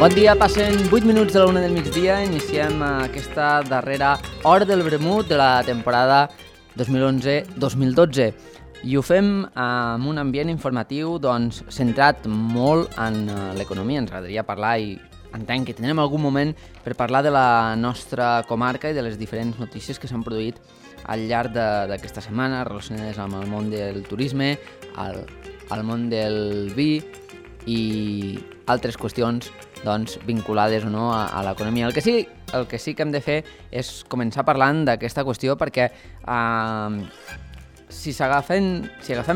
Bon dia, passen 8 minuts de la 1 del migdia, iniciem aquesta darrera hora del vermut de la temporada 2011-2012 i ho fem amb un ambient informatiu centrat molt en l'economia. Ens agradaria parlar i entenc que tindrem algun moment per parlar de la nostra comarca i de les diferents notícies que s'han produït al llarg d'aquesta setmana relacionades amb el món del turisme, el món del vi i altres qüestions vinculades o no a l'economia. El que sí que hem de fer és començar parlant d'aquesta qüestió perquè si agafem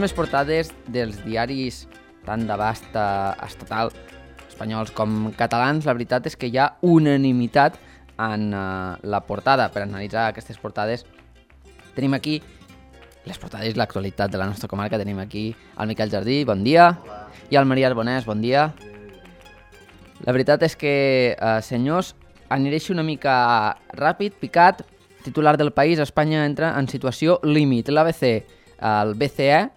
les portades dels diaris tant d'abast estatal espanyols com catalans, la veritat és que hi ha unanimitat en la portada. Per analitzar aquestes portades tenim aquí les portades i l'actualitat de la nostra comarca. Tenim aquí el Miquel Jardí, bon dia. Hola. I el Maria Arbonès, bon dia. La veritat és que, senyors, aniré una mica ràpid, picat. Titular del País: Espanya entra en situació límit. L'ABC, el BCE,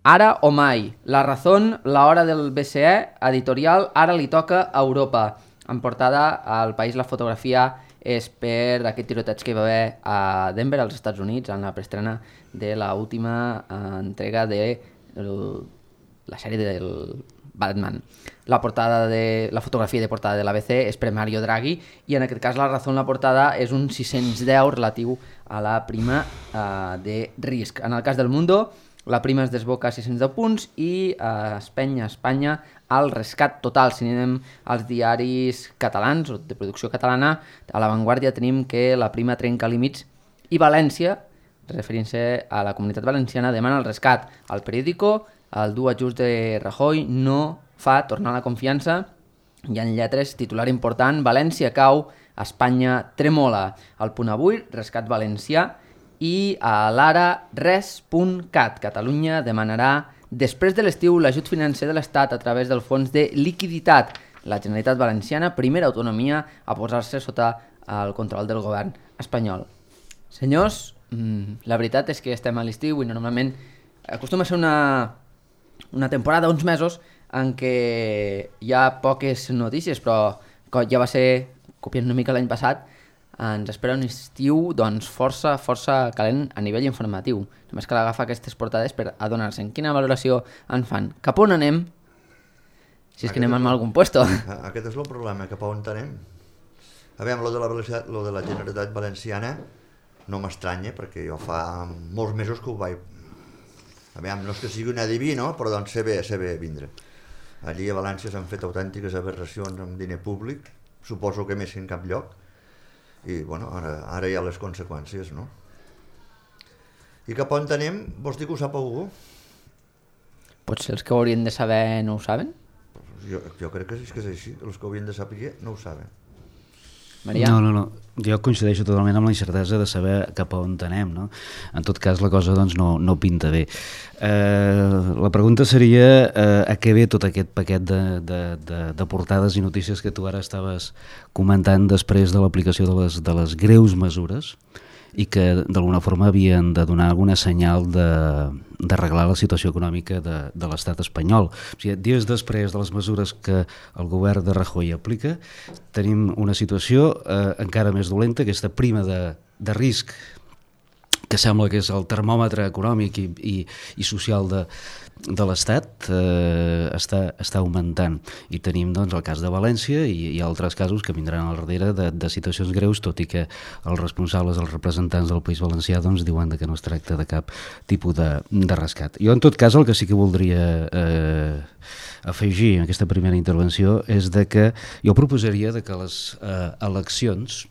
ara o mai. La Razón, la hora del BCE, editorial, ara li toca a Europa. En portada al País la fotografia és per aquest tiroteig que hi va haver a Denver, als Estats Units, en la preestrena de l'última entrega de la sèrie del Batman. La fotografia de portada de l'ABC és per Mario Draghi i en aquest cas la Razón, la portada és un 610 relatiu a la prima de risc. En el cas del Mundo, la prima es desboca a 610 punts i Espanya al rescat total. Si anem als diaris catalans o de producció catalana, a La Vanguardia tenim que la prima trenca límits i València, referint-se a la Comunitat Valenciana, demana el rescat. Al Periódico, el dur ajust de Rajoy no fa tornar la confiança i en lletres, titular important: València cau, Espanya tremola. Al Punt Avui, rescat valencià. I a l'Ara, res.cat, Catalunya demanarà després de l'estiu l'ajut financer de l'Estat a través del fons de liquiditat. La Generalitat Valenciana, primera autonomia a posar-se sota el control del govern espanyol. Senyors, la veritat és que estem a l'estiu i normalment acostuma a ser una temporada, uns mesos, en què hi ha poques notícies, però ja va ser, copiant una mica l'any passat, ens espera un estiu força calent a nivell informatiu. Només cal agafar aquestes portades per adonar-se en quina valoració en fan. Cap on anem? Si és que anem a algun puesto. Aquest és el problema, cap on anem. Aviam, lo de la Generalitat Valenciana no m'estranya, perquè jo fa molts mesos que ho vaig... Aviam, no és que sigui un adiví, no? Però doncs sé bé vindre. Allí a València s'han fet autèntiques aberracions amb diner públic, suposo que més que en cap lloc, i bueno, ara hi ha les conseqüències, no? I cap on anem? Vols dir que ho sap algú? Potser els que ho haurien de saber no ho saben? Jo crec que és així, els que ho haurien de saber no ho saben. Maria? No, jo coincideixo totalment amb la incertesa de saber cap a on anem, no? En tot cas la cosa doncs no pinta bé. La pregunta seria a què ve tot aquest paquet de portades i notícies que tu ara estaves comentant després de l'aplicació de les greus mesures i que d'alguna forma havien de donar alguna senyal d'arreglar la situació econòmica de l'estat espanyol. O sigui, dies després de les mesures que el govern de Rajoy aplica, tenim una situació encara més dolenta, aquesta prima de risc que sembla que és el termòmetre econòmic i social de l'Estat, està augmentant. I tenim doncs, el cas de València i altres casos que vindran al darrere de situacions greus, tot i que els responsables, els representants del País Valencià doncs, diuen que no es tracta de cap tipus de rescat. Jo, en tot cas, el que sí que voldria afegir en aquesta primera intervenció és que jo proposaria que les eleccions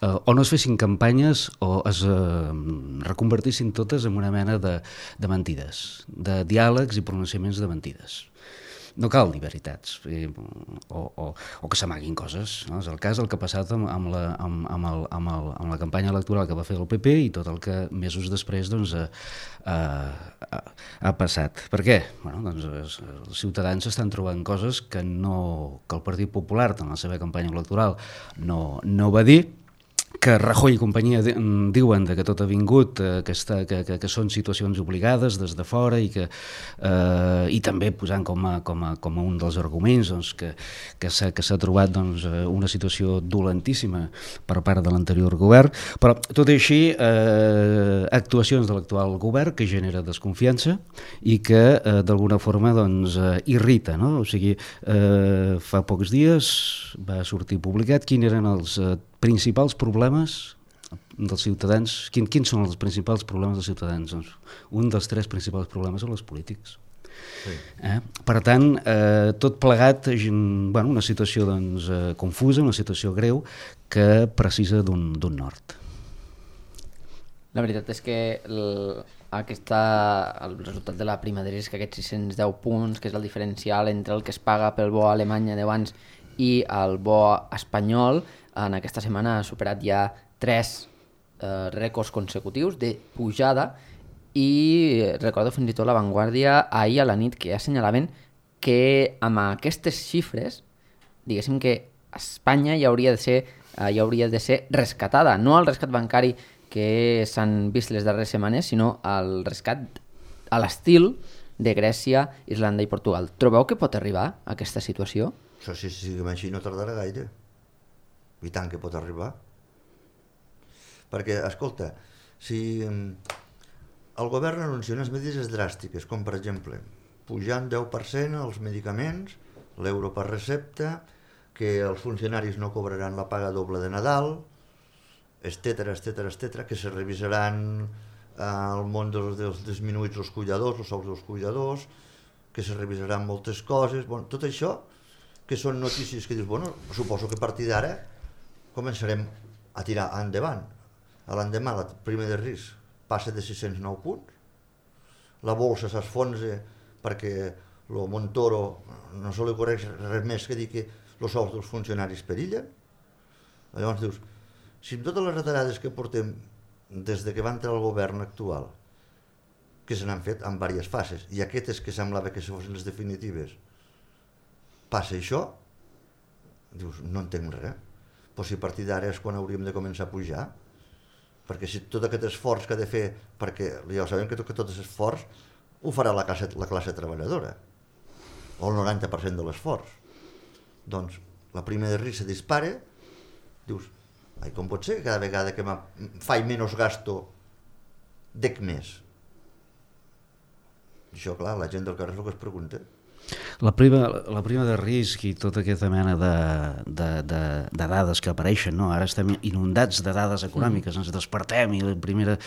o no es fessin campanyes o es reconvertissin totes en una mena de mentides, de diàlegs i pronunciaments de mentides. no cal dir veritats o que s'amaguin coses, no? És el cas del que ha passat amb la campanya electoral que va fer el PP i tot el que mesos després doncs, ha passat. Per què? Bueno, doncs, els ciutadans estan trobant coses que el Partit Popular en la seva campanya electoral no va dir, que Rajoy i companyia diuen que tot ha vingut, que són situacions obligades des de fora i també posant com a un dels arguments doncs, que s'ha trobat doncs, una situació dolentíssima per part de l'anterior govern, però tot i així actuacions de l'actual govern que genera desconfiança i que d'alguna forma doncs, irrita, no? O sigui, fa pocs dies va sortir publicat quins eren els principals problemes dels ciutadans. Quins són els principals problemes dels ciutadans? Doncs un dels 3 principals problemes són els polítics. Sí. Per tant, tot plegat, una situació doncs, confusa, una situació greu que precisa d'un nord. La veritat és que el resultat de la prima de risc, aquests 610 punts, que és el diferencial entre el que es paga pel bo alemany de abans i el bo espanyol, en aquesta setmana ha superat ja 3 rècords consecutius de pujada i recordo fins i tot La Vanguardia ahir a la nit que ja assenyalaven que amb aquestes xifres, diguéssim que Espanya ja hauria de ser rescatada, no el rescat bancari que s'han vist les darreres setmanes, sinó el rescat a l'estil de Grècia, Islanda i Portugal. Trobeu que pot arribar a aquesta situació? Això si siguem així no tardarà gaire. I tant que pot arribar. Perquè, escolta, si el govern anuncia unes mesures dràstiques, com per exemple pujant 10% els medicaments, l'euro per recepta, que els funcionaris no cobraran la paga doble de Nadal, etcètera, que se revisaran el món dels disminuïts els cuidadors, els sous dels cuidadors, que se revisaran moltes coses, tot això, que són notícies que dius, suposo que a partir d'ara començarem a tirar endavant. A l'endemà, la prima de risc passa de 609 punts, la bolsa s'esfonsa perquè el Montoro no se li correix res més que dir que els sous dels funcionaris perillen. Llavors dius, si amb totes les retallades que portem des que va entrar el govern actual, que se n'han fet en diverses fases, i aquestes que semblava que fossin les definitives, passa això, dius, no entenc res. Però si a partir d'ara és quan hauríem de començar a pujar, perquè si tot aquest esforç que ha de fer, perquè ja sabem que tot aquest esforç ho farà la classe treballadora, o el 90% de l'esforç. Doncs la prima de risc se dispara, dius, com pot ser que cada vegada que faig menys gasto dec més? I això, clar, la gent del carrer és el que es pregunta. La prima de risc i tota aquesta mena de dades que apareixen, no? Ara estem inundats de dades econòmiques, ens despertem i les primeres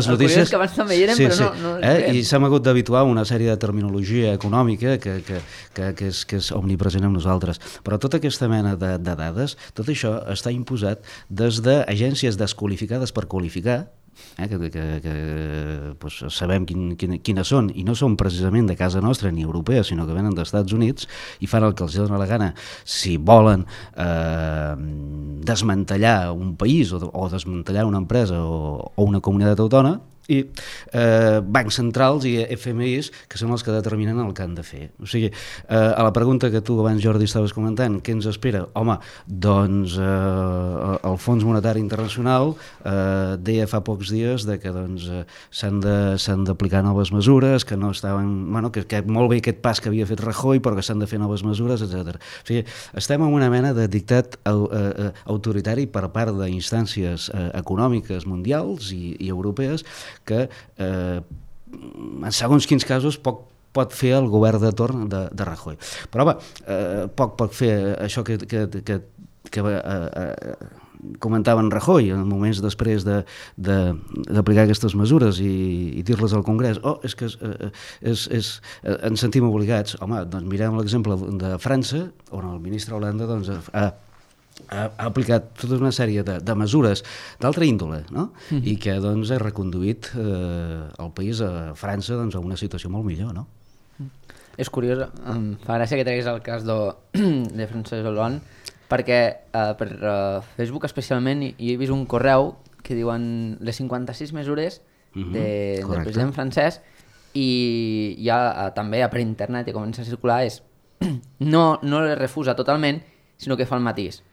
notícies... que abans també hi eren, però no i s'hem hagut d'habituar a una sèrie de terminologia econòmica que és omnipresent amb nosaltres. Però tota aquesta mena de dades, tot això està imposat des d'agències desqualificades per qualificar, que sabem quines són, i no són precisament de casa nostra ni europees, sinó que venen dels Estats Units i fan el que els dona la gana si volen desmantellar un país o desmantellar una empresa o una comunitat autònoma, i bancs centrals i FMIs que són els que determinen el que han de fer. O sigui, a la pregunta que tu abans, Jordi, estaves comentant, què ens espera? Home, doncs el Fons Monetari Internacional deia fa pocs dies que s'han d'aplicar noves mesures, que no estaven... que molt bé aquest pas que havia fet Rajoy, però que s'han de fer noves mesures, etc. O sigui, estem en una mena de dictat autoritari per part d'instàncies econòmiques mundials i europees que en segons quins casos pot fer el govern de torn de Rajoy. Però home, poc pot fer això que comentaven Rajoy en moments després d'aplicar aquestes mesures i dir-les al Congrés. És que ens sentim obligats. Home, doncs mirem l'exemple de França, on el ministre Hollande ha aplicat tota una sèrie de mesures d'altra índole, no? I que doncs, ha reconduït el país, a França, a una situació molt millor, no? És curiós, em fa gràcia que treguis el cas de Francesc Hollande, perquè per Facebook especialment hi he vist un correu que diuen les 56 mesures del president francès, i ja també per internet i comença a circular no les refusa totalment, sinó que fa el matís.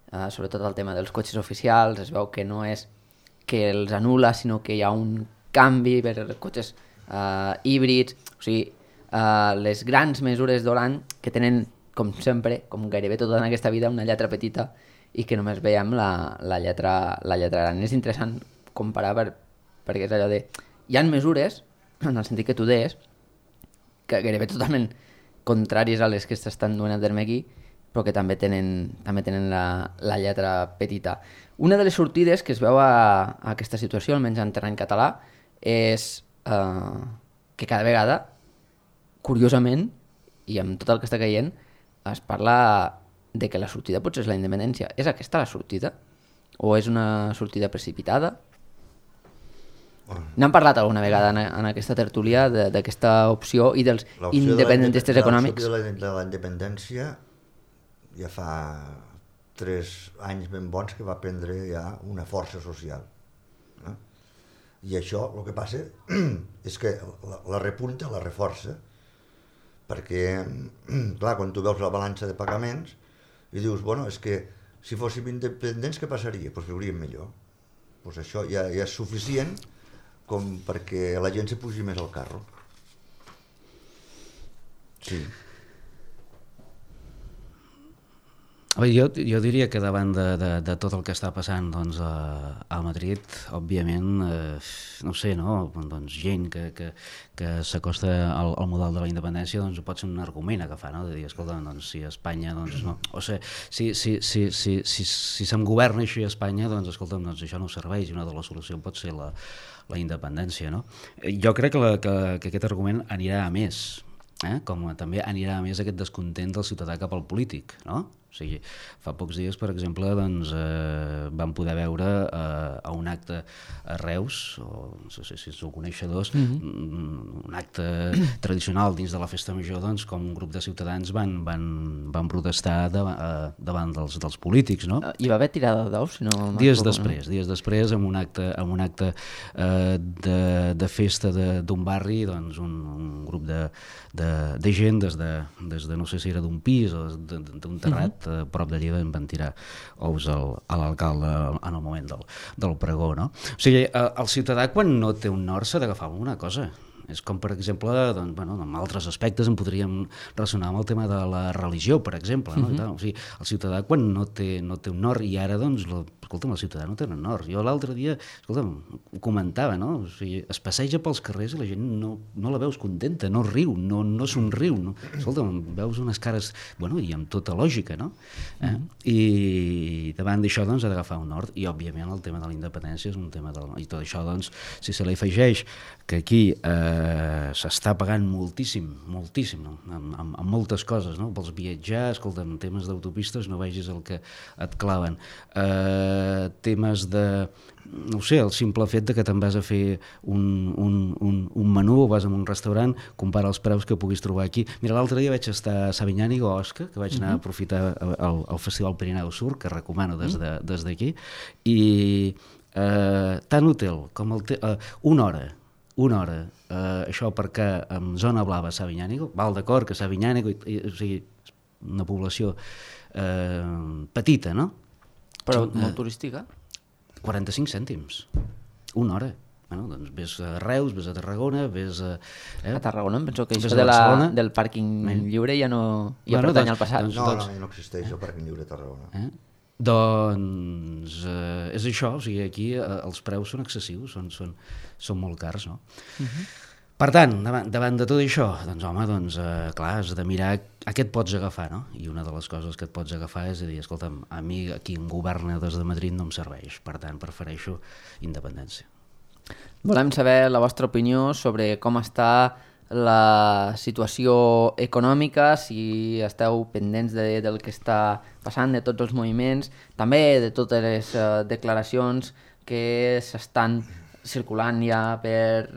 Sobretot el tema dels cotxes oficials, es veu que no és que els anul·la, sinó que hi ha un canvi per cotxes híbrids, o sigui, les grans mesures d'Hollande que tenen, com sempre, com gairebé tot en aquesta vida, una lletra petita i que només veiem la lletra gran. És interessant comparar perquè és allò de... Hi ha mesures, en el sentit que tu deies, que gairebé totalment contràries a les que s'estan duent a terme aquí, però que també tenen la lletra petita. Una de les sortides que es veu a aquesta situació, almenys en terreny català, és que cada vegada, curiosament, i amb tot el que està caient, es parla de que la sortida potser és la independència. És aquesta la sortida? O és una sortida precipitada? N'han parlat alguna vegada en aquesta tertúlia d'aquesta opció i dels independentistes econòmics? L'opció de la independència ja fa 3 anys ben bons que va prendre ja una força social. I això el que passa és que la repunta, la reforça, perquè, clar, quan tu veus la balança de pagaments i dius, bueno, és que si fóssim independents què passaria? Doncs viuríem millor. Doncs això ja és suficient com perquè la gent se pugi més al carro. Sí. Jo diria que davant de tot el que està passant doncs, a Madrid, òbviament, no sé, no? Doncs, gent que s'acosta al model de la independència doncs, pot ser un argument a agafar, no? De dir, escolta, doncs, si Espanya... Doncs, no. O sigui, si se'm governa així a Espanya, doncs, escolta'm, doncs, això no serveix, i una de les solucions pot ser la independència, no? Jo crec que aquest argument anirà a més, com també anirà a més aquest descontent del ciutadà cap al polític, no? O sigui, fa pocs dies, per exemple, doncs, vam poder veure a un acte a Reus, o no sé si sou coneixedors, un acte tradicional dins de la festa major, doncs, com un grup de ciutadans van protestar davant dels polítics, no? Hi va haver tirada d'ous? Si no dies després, amb un acte de festa d'un barri, doncs, un grup de gent des de no sé si era d'un pis o d'un terrat a prop d'allí van tirar ous a l'alcalde en el moment del pregó, no? O sigui, el ciutadà quan no té un nord s'ha d'agafar una cosa. És com, per exemple, doncs, bueno, en altres aspectes en podríem relacionar amb el tema de la religió, per exemple. No? O sigui, el ciutadà quan no té un nord, i ara, doncs, escolta'm, el ciutadà no té un nord. Jo l'altre dia, escolta'm, ho comentava, no? O sigui, es passeja pels carrers i la gent no la veus contenta, no riu, no somriu. No? Escolta'm, veus unes cares, bueno, i amb tota lògica, no? I davant d'això, doncs, ha d'agafar un nord. I, òbviament, el tema de la independència és un tema i tot això, doncs, si se li afegeix que aquí s'està pagant moltíssim, no? Amb moltes coses, no? Vols viatjar, escolta, en temes d'autopistes no vegis el que et claven. Temes de, no sé, el simple fet de que te'n vas a fer un menú o vas a un restaurant, compara els preus que puguis trobar aquí. Mira, l'altre dia vaig estar a Sabinyànic o a Osca, que vaig anar a aprofitar el Festival Pirineu Sur, que recomano des d'aquí, i tant l'hotel com una hora, això perquè en zona blava a Sabinyànigo, val d'acord que Sabinyànigo, o sigui, una població petita, no? Però molt turística? 45 cèntims, una hora. Bueno, doncs ves a Reus, ves a Tarragona, ves a... A Tarragona em penso que això del pàrquing lliure ja pertany al passat. No existeix el pàrquing lliure a Tarragona. Doncs és això, o sigui, aquí els preus són excessius, són molt cars, no? Per tant, davant de tot això, doncs home, clar, has de mirar a què et pots agafar, no? I una de les coses que et pots agafar és dir, escolta'm, a mi aquí em governa des de Madrid no em serveix, per tant prefereixo independència. Volem saber la vostra opinió sobre com està la situació econòmica, si esteu pendents del que està passant, de tots els moviments, també de totes les declaracions que s'estan circulant ja per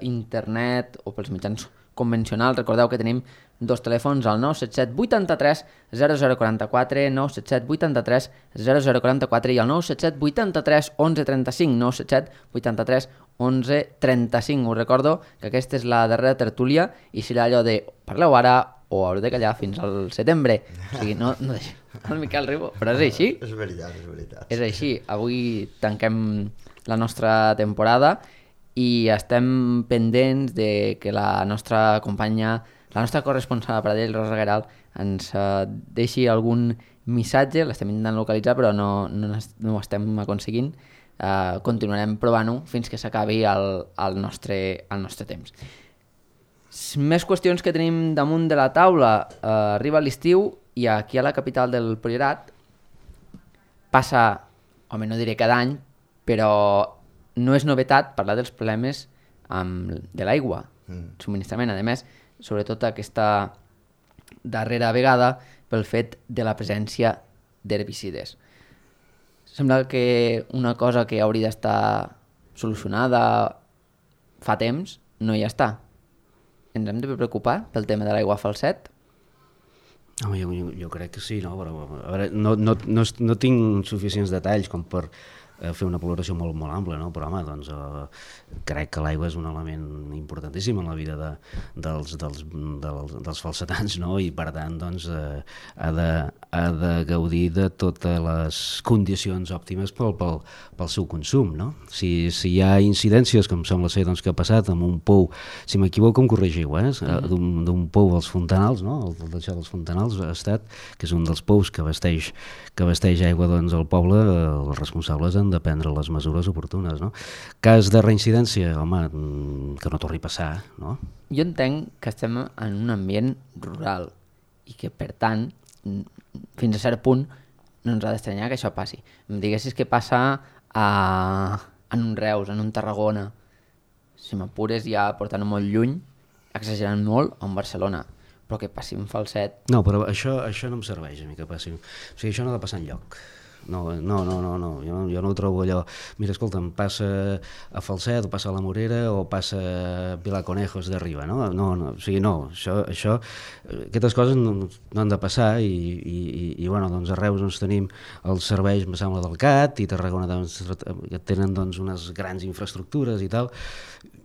internet o pels mitjans convencionals. Recordeu que tenim dos telèfons al 977 83 0044, 977 83 0044 i al 977 83 11 35, 977 83 11 35. Us recordo que aquesta és la darrera tertúlia i serà allò de parleu ara o haureu de callar fins al setembre. O sigui, no el Miquel Ribó, però és així. És veritat, és veritat. És així. Avui tanquem la nostra temporada i estem pendents de que la nostra companya, la nostra corresponsal a Pradell, Rosa Gueralt, ens deixi algun missatge. L'estem intentant localitzar però no ho estem aconseguint. Continuarem provant-ho fins que s'acabi el nostre temps. Més qüestions que tenim damunt de la taula. Arriba l'estiu i aquí a la capital del Priorat passa, home, no diré cada any, però no és novetat parlar dels problemes de l'aigua, subministrament. A més, sobretot aquesta darrera vegada pel fet de la presència d'herbicides. Sembla que una cosa que hauria d'estar solucionada fa temps no hi està. Ens hem de preocupar pel tema de l'aigua falset? Home, jo crec que sí, no? Però, a veure, no tinc suficients detalls com per fer una valoració molt, molt ampla, no? Però home, doncs, crec que l'aigua és un element importantíssim en la vida dels falsetans, no? I per tant doncs, ha de gaudir de totes les condicions òptimes pel seu consum, no? Si hi ha incidències, com sembla ser doncs, que ha passat amb un pou, si m'equivoco em corregiu, d'un pou als Fontanals, no? El deixar dels Fontanals ha estat, que és un dels pous que abasteix aigua doncs, al poble, els responsables han de prendre les mesures oportunes, no? Cas de reincidència, home, que no torni a passar, no? Jo entenc que estem en un ambient rural i que, per tant, fins a cert punt, no ens ha d'estranyar que això passi. Em diguessis que passa en un Reus, en un Tarragona, si m'apures ja portant molt lluny, exagerant molt, o en Barcelona, però que passi un Falset... No, però això no em serveix a mi que passi. O sigui, això no ha de passar enlloc. No, jo no ho trobo allò. Mira, escolta'm, passa a Falset o passa a la Morera o passa a Vilaconejos d'arriba, no? O sigui, no, això aquestes coses no han de passar i bueno, doncs a Reus doncs, tenim els serveis, em sembla, del CAT i Tarragona doncs, que tenen doncs, unes grans infraestructures i tal,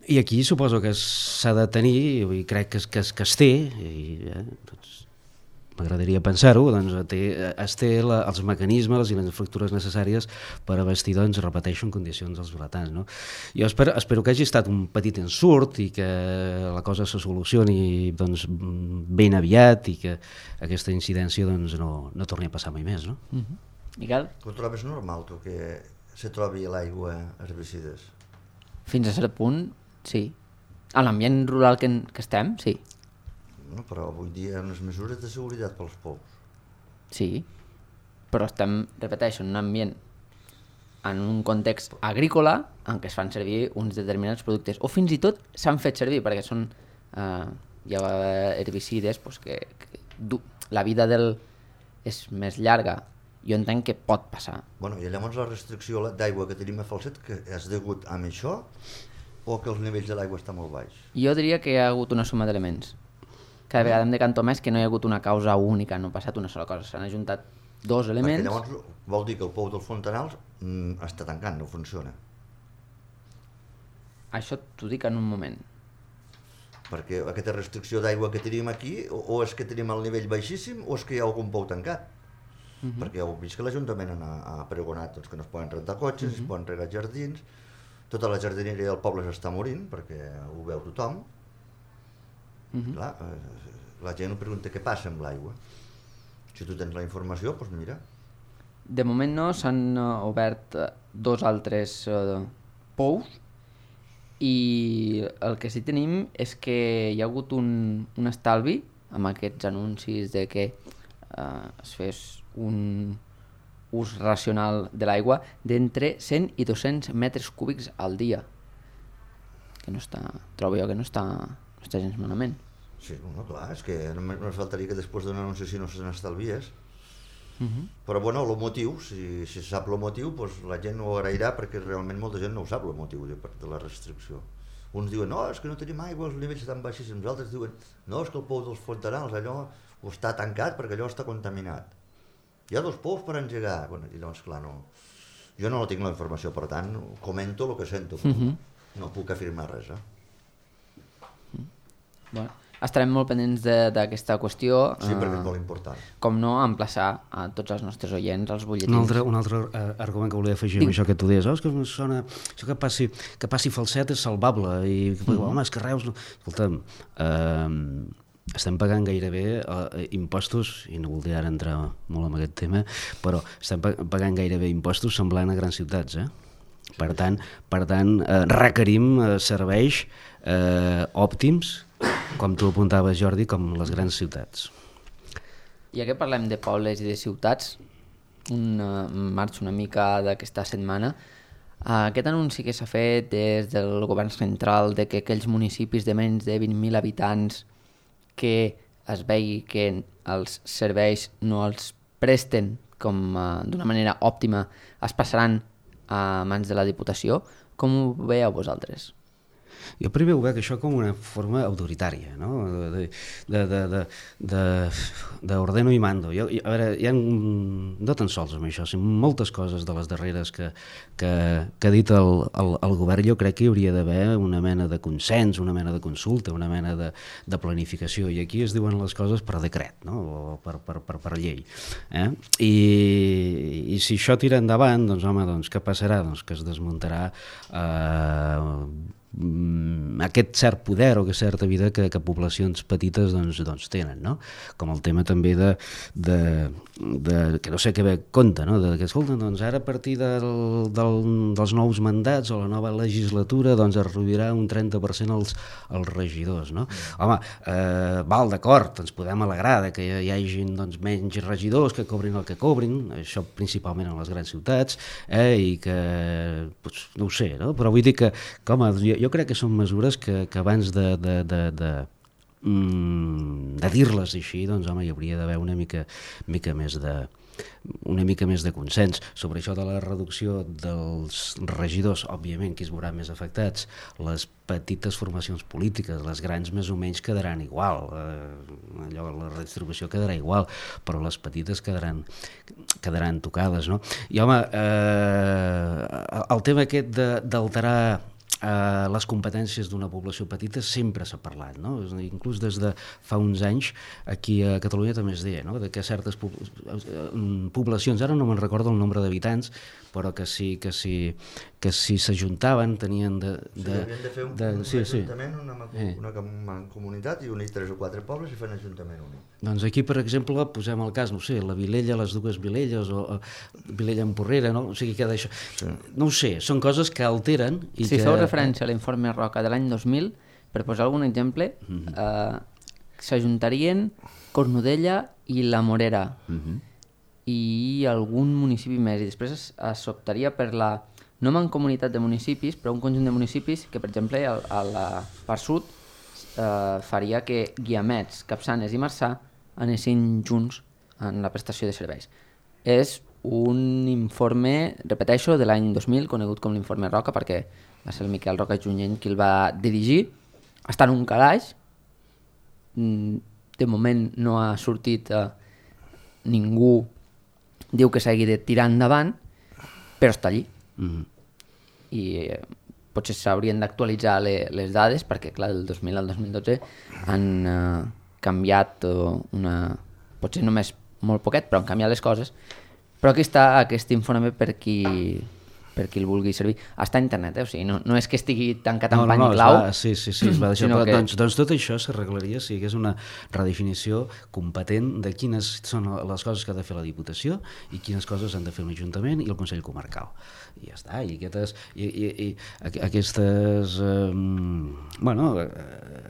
i aquí suposo que s'ha de tenir, i crec que es té, i doncs, m'agradaria pensar-ho, doncs es té els mecanismes i les infraestructures necessàries per abastir, doncs, repeteixo, en condicions dels vilatans, no? Jo espero que hagi estat un petit ensurt i que la cosa se solucioni doncs, ben aviat i que aquesta incidència doncs, no torni a passar mai més, no? Miquel? Ho trobes normal, tu, que se trobi a l'aigua herbicides? Fins a cert punt, sí. A l'ambient rural que estem, sí. No, però avui dia hi ha unes mesures de seguretat pels pous. Sí, però estem, repeteixo, en un ambient, en un context agrícola en què es fan servir uns determinats productes, o fins i tot s'han fet servir, perquè són hi ha herbicides doncs, que la vida és més llarga. Jo entenc que pot passar. Bueno, i llavors la restricció d'aigua que tenim a Falset, que és degut a això o que els nivells de l'aigua estan molt baix? Jo diria que hi ha hagut una suma d'elements. Cada vegada em decanto més que no hi ha hagut una causa única, no ha passat una sola cosa, s'han ajuntat dos elements... Perquè llavors vol dir que el pou dels Fontanals està tancant, no funciona. Això t'ho dic en un moment. Perquè aquesta restricció d'aigua que tenim aquí, o és que tenim el nivell baixíssim o és que hi ha algun pou tancat. Perquè heu vist que l'Ajuntament ha pregonat doncs, que no es poden rentar cotxes, es poden regar jardins, tota la jardineria del poble s'està morint, perquè ho veu tothom. Clar, la gent ho pregunta què passa amb l'aigua. Si tu tens la informació, doncs mira. De moment no, s'han obert dos altres pous i el que sí tenim és que hi ha hagut un estalvi amb aquests anuncis de que es fes un ús racional de l'aigua d'entre 100 i 200 metres cúbics al dia. Que no està, trobo jo que no està gens malament. Sí, no, clar, és que només faltaria que després d'un anunci si no se n'estalvies. Però bueno, el motiu, si se sap el motiu, doncs la gent ho agrairà perquè realment molta gent no ho sap el motiu de la restricció. uns diuen, no, és que no tenim aigua, els nivells estan baixíssims, altres diuen, no, és que el pou dels Fontanals, allò està tancat perquè allò està contaminat. Hi ha 2 pous per engegar. Bueno, i llavors, clar, no, jo no tinc la informació, per tant, comento el que sento, no puc afirmar res. Bueno, estarem molt pendents d'aquesta qüestió. Sí, perquè és molt important. Com no, emplaçar a tots els nostres oients als butlletins. Un altre argument que volia afegir amb això que tu deies, és que sona, això que passi falset és salvable, i home, és que Reus... Escolta'm, estem pagant gairebé impostos, i no voldria ara entrar molt en aquest tema, però estem pagant gairebé impostos semblant a grans ciutats, Per tant, requerim serveis òptims, com tu apuntaves, Jordi, com les grans ciutats. Ja que parlem de pobles i de ciutats, marxo una mica d'aquesta setmana. Aquest anunci que s'ha fet des del govern central de que aquells municipis de menys de 20.000 habitants que es vegi que els serveis no els presten d'una manera òptima es passaran a mans de la Diputació, com ho veieu vosaltres? Jo primer ho veig això com una forma autoritària, no? D'ordeno i mando. A veure, hi ha no tan sols amb això, sinó moltes coses de les darreres que ha dit el govern. Jo crec que hi hauria d'haver una mena de consens, una mena de consulta, una mena de planificació, i aquí es diuen les coses per decret, no? O per llei. I si això tira endavant, doncs home, què passarà? Doncs que es desmuntarà aquest cert poder o aquesta certa vida que poblacions petites doncs tenen, no? Com el tema també que no sé què ve compte, no? Que escolta, doncs ara a partir dels nous mandats o la nova legislatura doncs es reduirà un 30% els regidors, no? Home, val, d'acord, ens podem alegrar de que hi hagin doncs menys regidors que cobrin el que cobrin, això principalment en les grans ciutats, i que, no ho sé, no? Però vull dir que home, jo crec que són mesures que abans de dir-les així, doncs home, hi hauria d'haver una mica més de consens. Sobre això de la reducció dels regidors, òbviament qui es veurà més afectats, les petites formacions polítiques, les grans més o menys quedaran igual, la redistribució quedarà igual, però les petites quedaran tocades, no? I home, el tema aquest d'alterar les competències d'una població petita sempre s'ha parlat, no? Inclús des de fa uns anys aquí a Catalunya també es deia, no? De que certes poblacions, ara no me'n recordo el nombre d'habitants, però que si s'ajuntaven tenien havien de fer un ajuntament, una comunitat, i unir 3 o 4 pobles i fer un ajuntament únic. Doncs aquí, per exemple, posem el cas, no sé, la Vilella, les dues Vilelles, o Vilella en Porrera, no? O sigui, que d'això... No ho sé, són coses que alteren... Si feu referència a l'informe Roca de l'any 2000, per posar algun exemple, s'ajuntarien Cornudella i la Morera, i algun municipi més, i després s'optaria per la no mancomunitat de municipis, però un conjunt de municipis que, per exemple, a la part sud faria que Guiamets, Capçanes i Marçà anessin junts en la prestació de serveis. És un informe, repeteixo, de l'any 2000, conegut com l'informe Roca, perquè va ser el Miquel Roca Junyent qui el va dirigir. Està en un calaix, de moment no ha sortit ningú diu que s'hagi de tirar endavant, però està allí. I potser s'haurien d'actualitzar les dades, perquè clar, del 2000 al 2012 han canviat potser només molt poquet, però han canviat les coses. Però aquí està aquest informe per qui el vulgui servir. Està a internet, o sigui, no és que estigui tancat en pany i clau. Sí, es va deixar. Doncs tot això s'arreglaria si hi hagués una redefinició competent de quines són les coses que ha de fer la Diputació i quines coses han de fer un Ajuntament i el Consell Comarcal. I ja està. I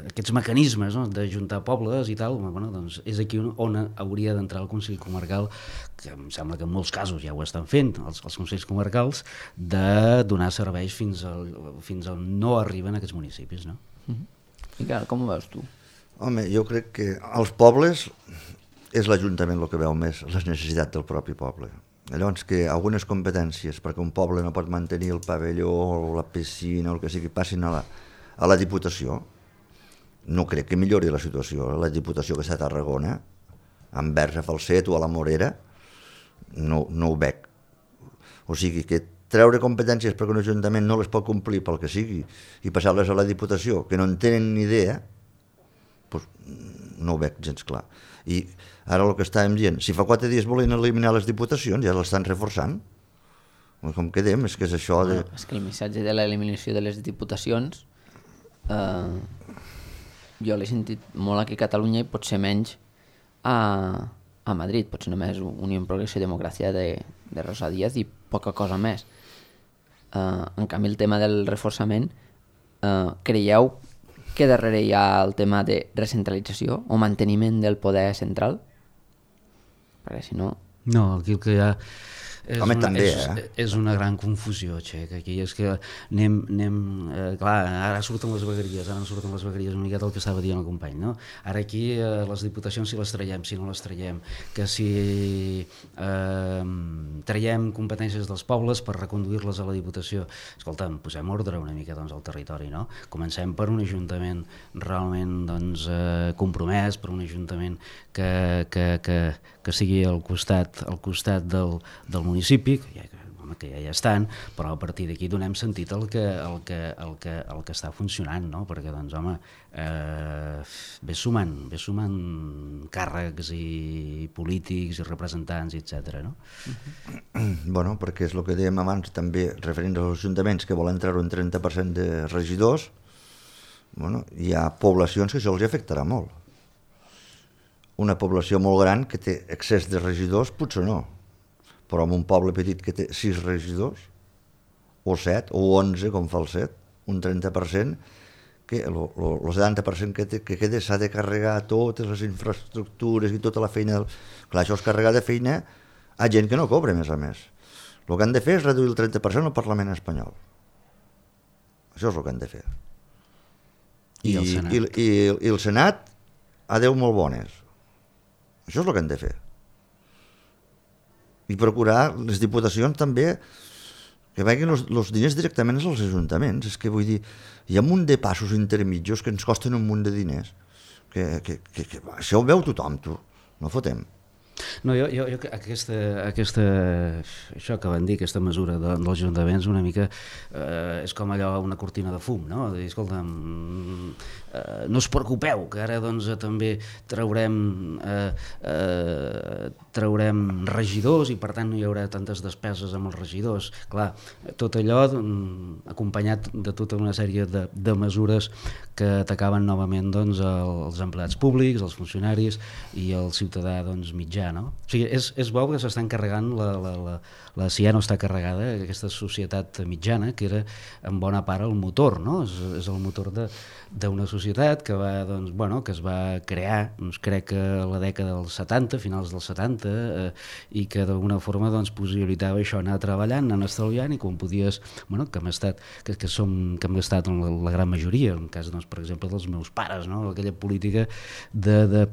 aquests mecanismes, no, d'ajuntar pobles i tal, doncs és aquí on hauria d'entrar el Consell Comarcal, que em sembla que en molts casos ja ho estan fent, els Consells Comarcals, de donar serveis fins on no arriben aquests municipis, no? Miquel, com ho veus tu? Home, jo crec que als pobles és l'Ajuntament el que veu més les necessitats del propi poble. Llavors, que algunes competències, perquè un poble no pot mantenir el pavelló o la piscina o el que sigui, passin a a la Diputació. No crec que millori la situació. La Diputació que està a Tarragona, envers a Falset o a la Morera, no ho veig. O sigui que treure competències perquè un ajuntament no les pot complir pel que sigui i passar-les a la Diputació, que no en tenen ni idea, doncs no ho veig gens clar. I ara el que estàvem dient, si fa 4 dies volen eliminar les diputacions, ja l'estan reforçant. Com quedem, és que és això de... És que el missatge de l'eliminació de les diputacions jo l'he sentit molt aquí a Catalunya i potser menys a Madrid, potser només Unió Progreso i Democràcia de Rosa Díaz i poca cosa més. En canvi, el tema del reforçament, creieu que darrere hi ha el tema de recentralització o manteniment del poder central? Perquè si no... No, aquí el que hi ha és una gran confusió, Txec. Aquí és que clar, ara surten les vegueries, una miqueta el que estava dient el company, no? Ara aquí les diputacions si les traiem, si no les traiem, que si traiem competències dels pobles per reconduir-les a la Diputació, escolta'm, posem ordre una mica doncs, al territori, no? Comencem per un ajuntament realment doncs, compromès, per un ajuntament que sigui al costat del municipi, que ja hi estan, però a partir d'aquí donem sentit al que està funcionant, no? Perquè doncs, home, ve sumant càrrecs i polítics i representants, etc. No? Bueno, perquè és el que dèiem abans també, referint als ajuntaments que volen treure un 30% de regidors, bueno, hi ha poblacions que això els afectarà molt. Una població molt gran que té excés de regidors, potser no, però en un poble petit que té 6 regidors, o 7, o 11, com fa el 7, un 30%, que el 70% que queda s'ha de carregar totes les infraestructures i tota la feina. Clar, això és carregar de feina a gent que no cobra, a més. El que han de fer és reduir el 30% al Parlament espanyol. Això és el que han de fer. I el Senat? I el Senat, adeu molt bones. Això és el que han de fer. I procurar les diputacions també que vagin els diners directament als ajuntaments. És que vull dir, hi ha un munt de passos intermitjos que ens costen un munt de diners. Que això ho veu tothom, tu. No fotem. No, jo això que van dir, aquesta mesura dels ajuntaments una mica és com allò, una cortina de fum, no? Dir, escolta, no us preocupeu, que ara doncs també traurem regidors i per tant no hi haurà tantes despeses amb els regidors. Clar, tot allò acompanyat de tota una sèrie de mesures que atacaven novament doncs, els empleats públics, els funcionaris i el ciutadà doncs, mitjà. No? O sigui, és bo que s'estan carregant si ja no està carregada aquesta societat mitjana que era en bona part el motor, no? És el motor d'una societat que va, doncs, bueno, que es va crear, doncs, crec que a la dècada dels 70, finals dels 70, i que d'alguna forma doncs, possibilitava això, anar treballant, anar estalviant, i quan podies, bueno, que hem estat la gran majoria, en cas, doncs, per exemple, dels meus pares, no? Aquella política de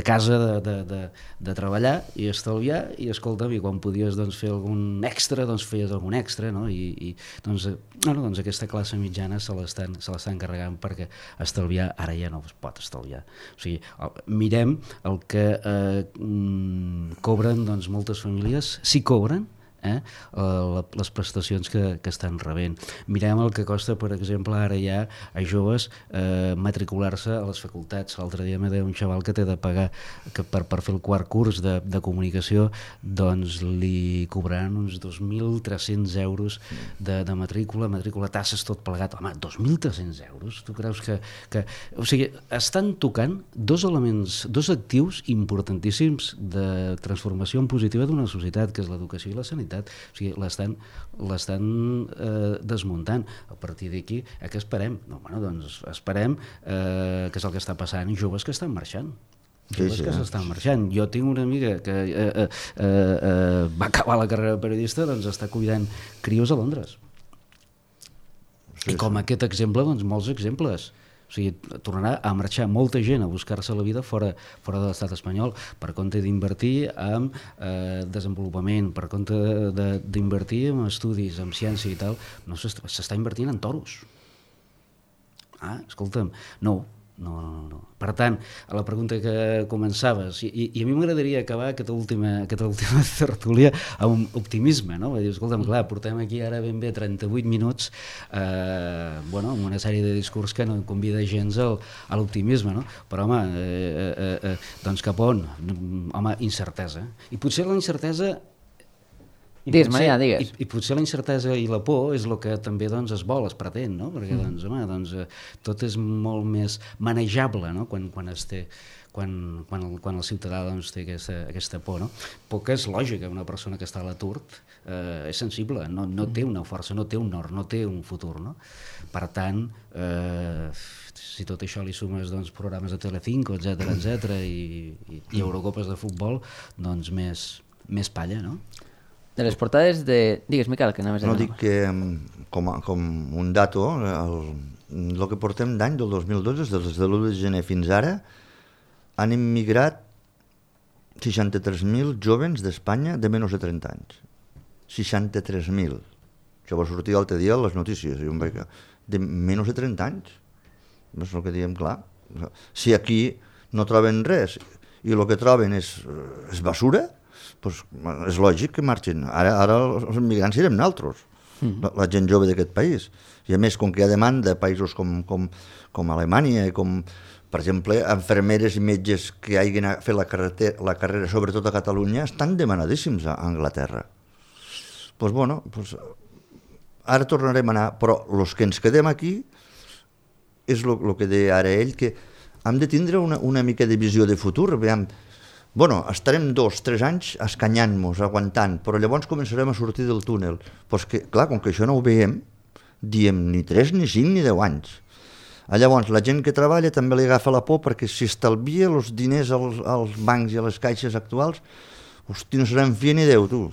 casa, de treballar i estalviar, i escolta'm, i quan podies doncs, fer algun extra, doncs feies algun extra, no? I doncs aquesta classe mitjana se l'estan carregant perquè estalviar ara ja no es pot estalviar. O sigui, mirem el que cobren doncs, moltes famílies, si cobren, les prestacions que estan rebent. Mirem el que costa, per exemple, ara ja a joves matricular-se a les facultats. L'altre dia me deia un xaval que té de pagar que per fer el quart curs de comunicació doncs li cobraran uns 2.300 euros de matrícula, tasses, tot plegat. Home, 2.300 euros? Tu creus que... O sigui, estan tocant dos elements, dos actius importantíssims de transformació en positiva d'una societat, que és l'educació i la sanitat. O sigui, l'estan desmuntant. A partir d'aquí, què esperem? No, bueno, doncs esperem que és el que està passant, joves que estan marxant. Joves que s'estan marxant. Jo tinc una amiga que va acabar la carrera de periodista, doncs està cuidant crios a Londres. I com aquest exemple, doncs molts exemples. O sigui, tornarà a marxar molta gent a buscar-se la vida fora de l'estat espanyol per compte d'invertir en desenvolupament, per compte d'invertir en estudis, en ciència i tal. No s'està invertint en toros. Escolta'm, no. Per tant, a la pregunta que començaves, i a mi m'agradaria acabar aquesta última tertúlia amb un optimisme, no? Dir, escolta'm, clar, portem aquí ara ben bé 38 minuts amb una sèrie de discurs que no convida gens a l'optimisme, no? Però, home, doncs cap on? Home, incertesa. I potser la incertesa... Digues, Maria, digues. I potser la incertesa i la por és el que també es vol, es pretén, no? Perquè tot és molt més manejable, no? Quan el ciutadà té aquesta por, no? Por que és lògica, una persona que està a l'atur és sensible, no té una força, no té un nord, no té un futur, no? Per tant, si tot això li sumes programes de Telecinco, etc i Eurocopes de futbol, doncs més palla, no? De les portades de... Digues, Miquel, que anaves a dir. No, dic que com un dato, el que portem d'any del 2012, des de l'1 de gener fins ara, han immigrat 63.000 jóvens d'Espanya de menys de 30 anys. 63.000. Això va sortir l'altre dia a les notícies. De menys de 30 anys. És el que diem, clar. Si aquí no troben res i el que troben és basura, doncs és lògic que marxin. Ara els immigrants serem nosaltres, la gent jove d'aquest país. I a més, com que hi ha demanda de països com Alemanya, i com, per exemple, infermeres i metges que hagin fet la carrera, sobretot a Catalunya, estan demanadíssims a Anglaterra. Doncs, ara tornarem a anar, però els que ens quedem aquí és el que deia ara ell, que hem de tindre una mica de visió de futur. Estarem 2-3 anys escanyant-nos, aguantant, però llavors començarem a sortir del túnel. Però és que, clar, com que això no ho veiem, diem ni 3, ni 5, ni 10 anys. Llavors, la gent que treballa també li agafa la por perquè si estalvia els diners als bancs i a les caixes actuals, hosti, no seran fi ni Déu, tu.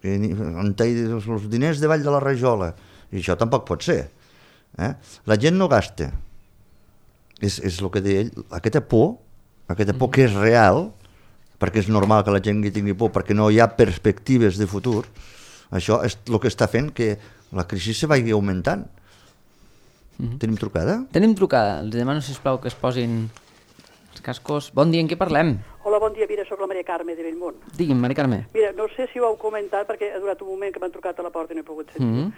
Els diners davall de la rajola. I això tampoc pot ser. La gent no gasta. És el que deia ell, aquesta por que és real, perquè és normal que la gent tingui por, perquè no hi ha perspectives de futur, això és el que està fent que la crisi se vagi augmentant. Tenim trucada? Tenim trucada. Els demano, sisplau, que es posin els cascos. Bon dia, en què parlem? Hola, bon dia, mira, soc la Maria Carme de Bellmunt. Digui'm, Maria Carme. Mira, no sé si ho heu comentat, perquè ha durat un moment que m'han trucat a la porta i no he pogut sentir.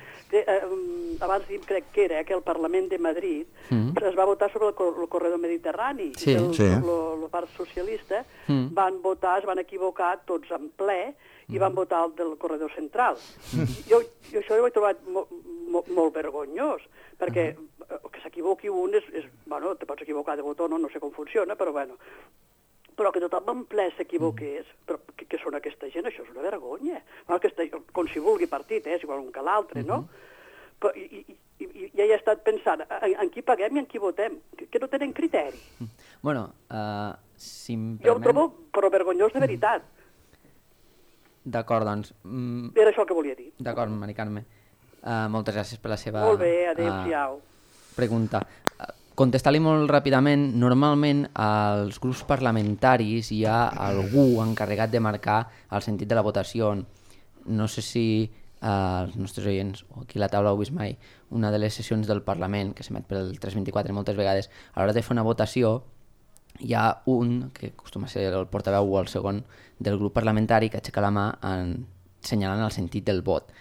Abans crec que era que el Parlament de Madrid es va votar sobre el corredor mediterrani. Sí. La part socialista van votar, es van equivocar tots en ple i van votar el del corredor central. Jo això ho he trobat molt vergonyós, perquè que s'equivoqui un te pots equivocar de botó, no sé com funciona, però però que tothom en ple s'equivoqués, però què són aquesta gent? Això és una vergonya. Com si vulgui partit, és igual un que l'altre, no? Però, i ja he estat pensant en qui paguem i en qui votem, que no tenen criteri. Si em permet... Jo ho trobo però vergonyós de veritat. D'acord, doncs... Era això el que volia dir. D'acord, Maria Carme. Moltes gràcies per la seva... Molt bé, adéu-siau. Pregunta. Contestar-li molt ràpidament, normalment als grups parlamentaris hi ha algú encarregat de marcar el sentit de la votació. No sé si els nostres oients o aquí a la taula heu vist mai una de les sessions del Parlament que s'emet pel 324 moltes vegades. A l'hora de fer una votació hi ha un, que acostuma a ser el portaveu o el segon del grup parlamentari, que aixeca la mà assenyalant el sentit del vot.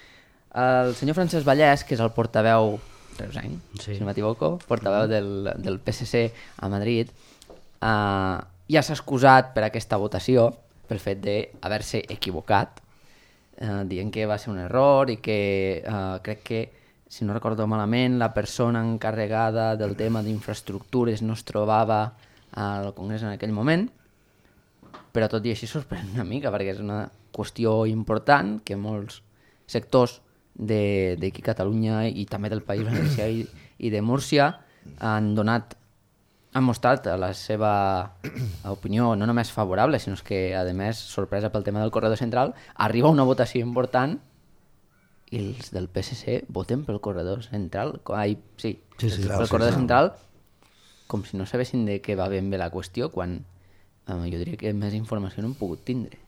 El senyor Francesc Vallès, que és el portaveu reusenc, si no m'equivoco, portaveu del PSC a Madrid, ja s'ha excusat per aquesta votació pel fet d'haver-se equivocat, dient que va ser un error i que crec que, si no recordo malament, la persona encarregada del tema d'infraestructures no es trobava al Congrés en aquell moment, però tot i així sorprèn una mica perquè és una qüestió important que molts sectors d'aquí a Catalunya i també del País Valencià i de Múrcia han mostrat la seva opinió no només favorable, sinó que a més, sorpresa pel tema del corredor central, arriba una votació important i els del PSC voten pel corredor central. Pel corredor central, com si no sabessin de què va ben bé la qüestió, quan jo diria que més informació no hem pogut tindre.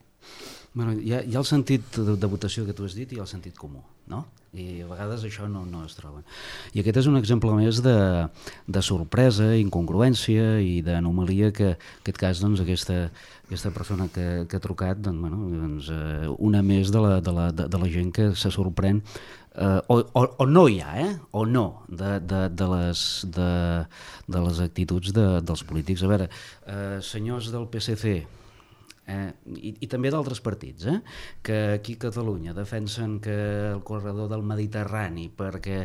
Bueno, hi ha el sentit de votació que tu has dit i el sentit comú, no? I a vegades això no es troba. I aquest és un exemple més de sorpresa, incongruència i d'anomalia que en aquest cas doncs, aquesta persona que ha trucat, doncs, una més de la gent que se sorprèn o no hi ha, o no, de les actituds dels polítics. A veure, senyors del PSC, i també d'altres partits, que aquí a Catalunya defensen que el corredor del Mediterrani perquè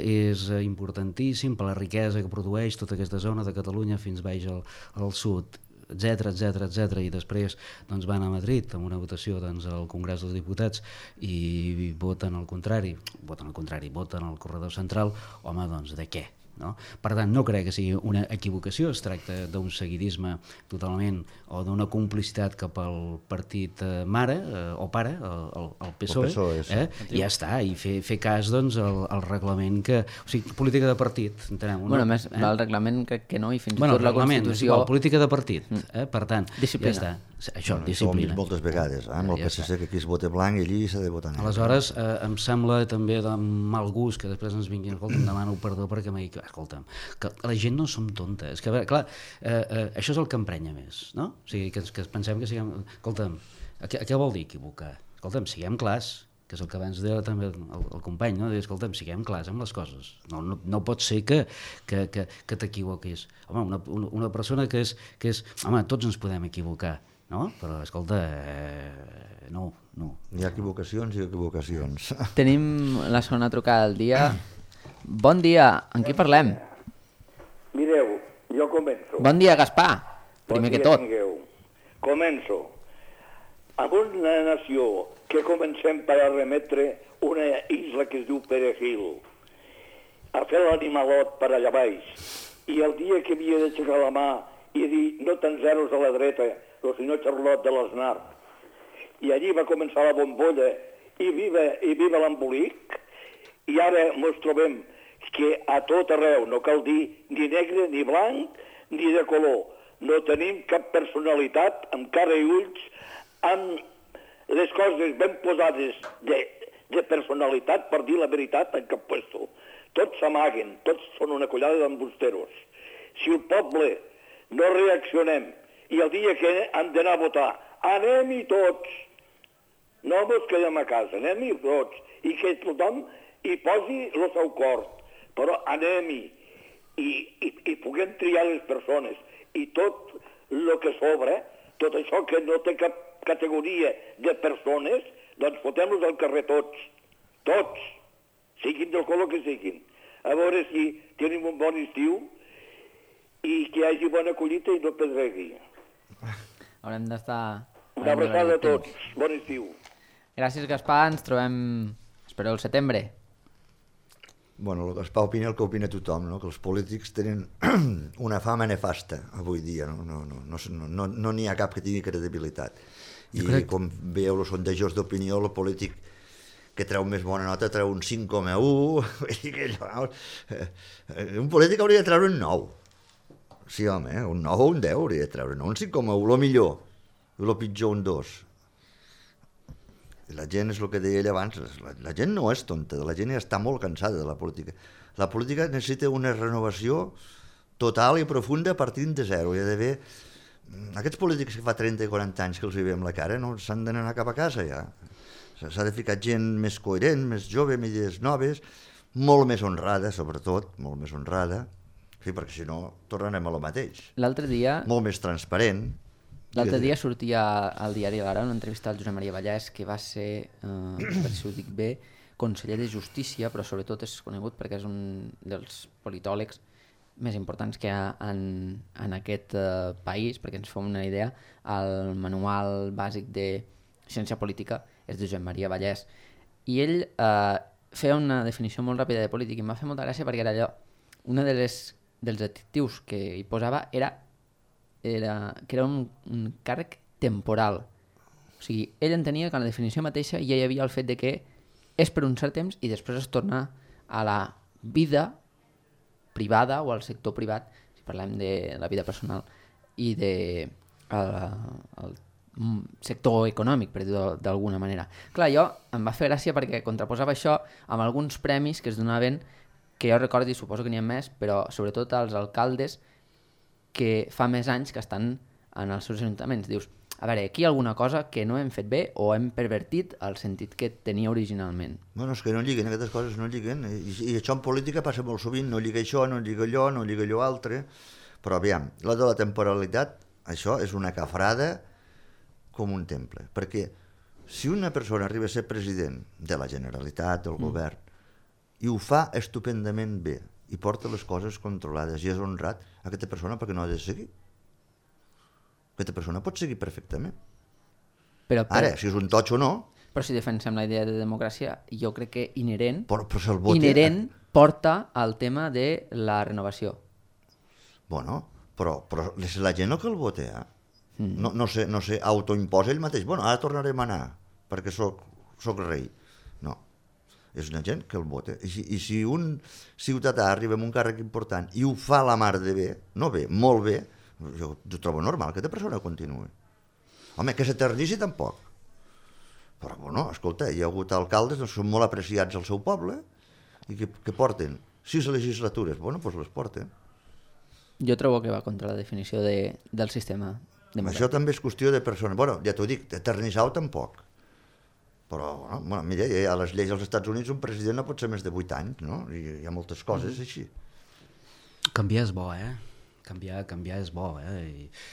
és importantíssim per la riquesa que produeix tota aquesta zona de Catalunya fins baix al sud, etc, i després doncs, van a Madrid amb una votació doncs, al Congrés dels Diputats i voten al contrari, voten al corredor central. Home, doncs de què? No? Per tant, no crec que sigui una equivocació, es tracta d'un seguidisme totalment o d'una complicitat cap al partit mare o pare, el PSOE, sí. I ja està, i fer cas doncs, al reglament que... O sigui, política de partit, entenem. Bueno, més, el reglament crec que no, i fins i tot la Constitució... Política de partit, per tant, disciplina. Ja està. Això, disciplina. Moltes vegades, amb el PSC que aquí es vota blanc i allí s'ha de votar negre. Aleshores, em sembla també de mal gust que després ens vinguin, escolta, em demano perdó perquè m'he dit, escolta'm, que la gent no som tontes, que clar, això és el que emprenya més, no? O sigui, que pensem que siguem... Escolta'm, què vol dir equivocar? Escolta'm, siguem clars, que és el que abans deia també el company, no? Dir, escolta'm, siguem clars amb les coses. No pot ser que t'equivoquis. Home, una persona que és... Home, tots ens podem equivocar, no? Però, escolta, no. Hi ha equivocacions i equivocacions. Tenim la segona trucada del dia. Bon dia, amb qui parlem? Mireu, jo començo. Bon dia, Gaspar, primer que tot. Tingueu. Començo. Amb una nació que comencem per a remetre una isla que es diu Perejil, a fer l'animalot per allà baix, i el dia que havia d'aixecar la mà i dir no tants zeros a la dreta, el senyor Charlot de l'Aznar, i allí va començar la bombolla i viva l'embolic, i ara ens trobem que a tot arreu, no cal dir ni negre, ni blanc, ni de color, no tenim cap personalitat amb cara i ulls, amb les coses ben posades de personalitat per dir la veritat en cap puesto. Tots s'amaguen, tots són una collada d'embusteros. Si el poble no reaccionem i el dia que han d'anar a votar, anem-hi tots, no ens quedem a casa, anem-hi tots, i que tothom hi posi el seu cor, però anem-hi i puguem triar les persones, i tot el que sobra, tot això que no té cap categoria de persones, doncs fotem-los al carrer tots, siguin del color que siguin, a veure si tenim un bon estiu i que hi hagi bona collita i no pedregui. Haurem d'estar... Una abraçada a tots, bon estiu. Gràcies, Gaspar, ens trobem, espero, el setembre. Bueno, el Gaspar opina el que opina tothom, no? Que els polítics tenen una fama nefasta avui dia, no n'hi ha cap que tingui credibilitat. I com veieu els sondejos d'opinió, el polític que treu més bona nota treu un 5,1, un polític hauria de treure un 9. Sí, home, un 9 o un 10 hauria de treure, no un 5,1, el millor, el pitjor un 2. La gent, és el que deia ell abans, la gent no és tonta, la gent ja està molt cansada de la política. La política necessita una renovació total i profunda partint de zero. Hi ha d'haver... Aquests polítics que fa 30 i 40 anys que els hi veiem la cara, no s'han d'anar cap a casa ja. S'ha de ficar gent més coherent, més jove, amb idees noves, molt més honrada, sobretot, molt més honrada, sí, perquè si no tornarem a lo mateix. L'altre dia... Molt més transparent. L'altre dia sortia al diari L'Ara una entrevista al Josep Maria Vallès, que va ser, per si ho dic bé, conseller de Justícia, però sobretot és conegut perquè és un dels politòlegs més importants que hi ha en aquest país, perquè ens fem una idea, el manual bàsic de ciència política és de Josep Maria Vallès. I ell feia una definició molt ràpida de polític i em va fer molta gràcia perquè era allò, un dels adjectius que hi posava era que era un càrrec temporal. O sigui, ell entenia que en la definició mateixa ja hi havia el fet de que és per un cert temps i després es torna a la vida privada o al sector privat, si parlem de la vida personal i de el sector econòmic, per dir-ho d'alguna manera. Clar, jo em va fer gràcia perquè contraposava això amb alguns premis que es donaven, que jo recordo i suposo que n'hi ha més, però sobretot als alcaldes que fa més anys que estan en els seus ajuntaments. Dius, a veure, aquí hi ha alguna cosa que no hem fet bé o hem pervertit el sentit que tenia originalment. Bueno, és que no lliguen, aquestes coses no lliguen, i això en política passa molt sovint, no lliga això, no lliga allò, no lliga allò altre, però aviam, la de la temporalitat, això és una cafrada com un temple, perquè si una persona arriba a ser president de la Generalitat, del govern, i ho fa estupendament bé, i porta les coses controlades i és honrat, aquesta persona per què no ha de seguir? Aquesta persona pot seguir perfectament. Ara, si és un totxo o no... Però si defensem la idea de democràcia, jo crec que inherent porta al tema de la renovació. Bueno, però és la gent el que el vota, No se autoimposa ell mateix. Bueno, ara tornarem a anar, perquè soc rei. No, és una gent que el vota. I si un ciutadà arriba amb un càrrec important i ho fa la mar de bé, no bé, molt bé, jo trobo normal que aquesta persona continuï. Home, que s'eternici tampoc. Però, bueno, escolta, hi ha hagut alcaldes que són molt apreciats al seu poble i que porten 6 legislatures. Bueno, doncs les porten. Jo trobo que va contra la definició del sistema democràtic. Això també és qüestió de persona. Bueno, ja t'ho dic, eternitzar-ho tampoc. Però, bueno, mira, a les lleis als Estats Units un president no pot ser més de 8 anys, no? I hi ha moltes coses així. Canviar és bo, Canviar és bo,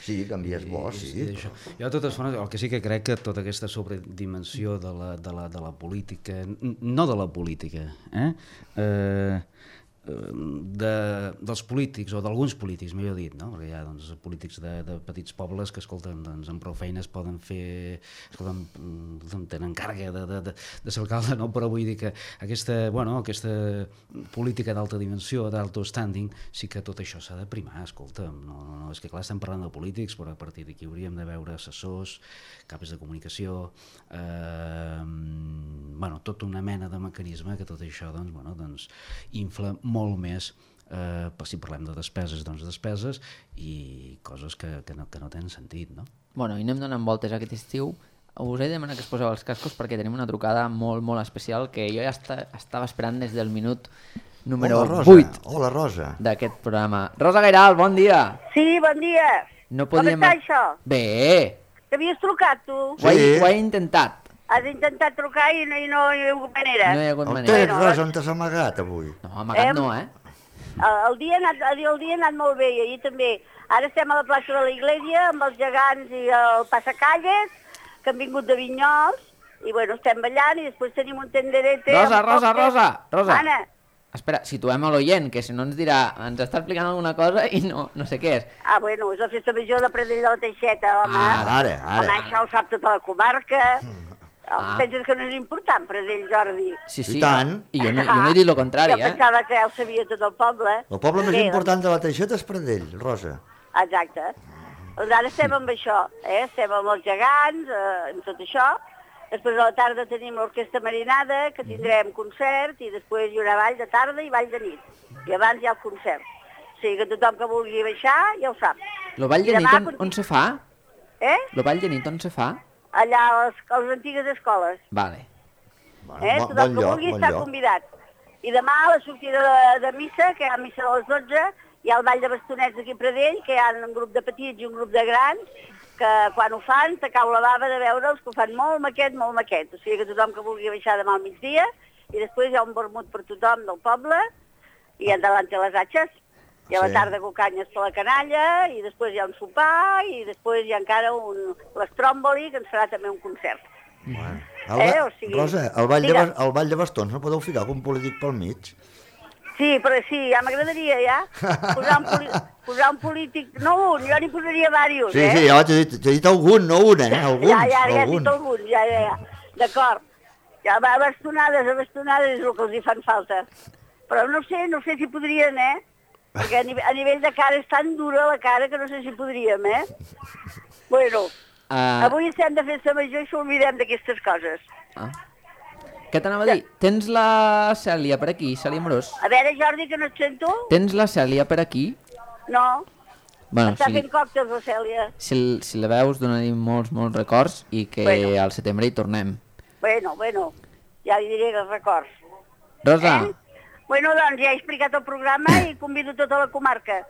Sí, canviar és bo, sí. Jo, de totes formes, el que sí que crec que tota aquesta sobredimensió de la política, no de la política, dels polítics, o d'alguns polítics, millor dit, no? Perquè hi ha polítics de petits pobles que, escolta'm, amb prou feines poden fer... Escolta'm, tenen càrrega de ser alcalde, no? Però vull dir que aquesta política d'alta dimensió, d'alto standing, sí que tot això s'ha de primar, escolta'm. No, és que clar, estem parlant de polítics, però a partir d'aquí hauríem de veure assessors, capes de comunicació, tota una mena de mecanisme que tot això infla molt més, si parlem de despeses, despeses i coses que no tenen sentit, no? Bueno, i anem donant voltes aquest estiu. Us he de demanar que es poseu els cascos perquè tenim una trucada molt, molt especial que jo ja estava esperant des del minut número 8 d'aquest programa. Rosa Gairal, bon dia! Sí, bon dia! Com està això? Bé! T'havies trucat, tu? Sí. Ho he intentat. Has intentat trucar i no hi ha hagut manera. No hi ha hagut manera. On tens, Rosa, on t'has amagat avui? No, amagat no, El dia ha anat molt bé, i ahir també. Ara estem a la plaça de la Iglesia amb els gegants i el passacalles, que han vingut de Vinyols, i bueno, estem ballant i després tenim un tenderete... Rosa! Anna! Espera, situem a l'oient, que si no ens dirà, ens està explicant alguna cosa i no sé què és. Bueno, és la festa major de Pradell de la Teixeta, home. Ara. Home, això ho sap tota la comarca. Penses que no és important, Pradell, Jordi? Sí. I tant. I jo no he dit el contrari, Jo pensava que ja ho sabia tot el poble. El poble més important de la Teixeta és Pradell, Rosa. Exacte. Doncs ara estem amb això, estem amb els gegants, amb tot això. Després a la tarda tenim l'Orquestra Marinada, que tindrem concert, i després hi haurà ball de tarda i ball de nit. I abans hi ha el concert. O sigui que tothom que vulgui baixar ja ho sap. El ball de nit on se fa? El ball de nit on se fa? Allà a les antigues escoles. Vale. Tothom que vulgui està convidat. I demà a la sortida de missa, que hi ha missa a les 12, hi ha el ball de bastonets aquí a Pradell, que hi ha un grup de petits i un grup de grans, que quan ho fan te cau la bava de veure'ls, que ho fan molt maquet. O sigui que tothom que vulgui baixar demà al migdia, i després hi ha un vermut per tothom del poble, i endavant les atxes. I a la tarda cocanyes per la canalla, i després hi ha un sopar, i després hi ha encara l'estròmboli, que ens farà també un concert. Rosa, el ball de bastons no podeu ficar algun polític pel mig? Sí, però sí, ja m'agradaria, posar un polític, no un, jo n'hi posaria diversos, Sí, ja t'he dit algun, no un, alguns. Ja he dit algun, ja, d'acord. Ja, bastonades és el que els hi fan falta. Però no sé si podrien, perquè a nivell de cara és tan dura la cara que no sé si podríem, Bueno, avui estem de festa major i s'oblidem d'aquestes coses. Què t'anava a dir? Tens la Cèlia per aquí, Cèlia Amorós? A veure, Jordi, que no et sento? Tens la Cèlia per aquí? No. Bueno, Està fent còctels, la Cèlia. Si la veus, dona-li molts records i que al setembre hi tornem. Bueno, ja li diré els records. Rosa. Bueno, doncs ja he explicat el programa i convido tota la comarca.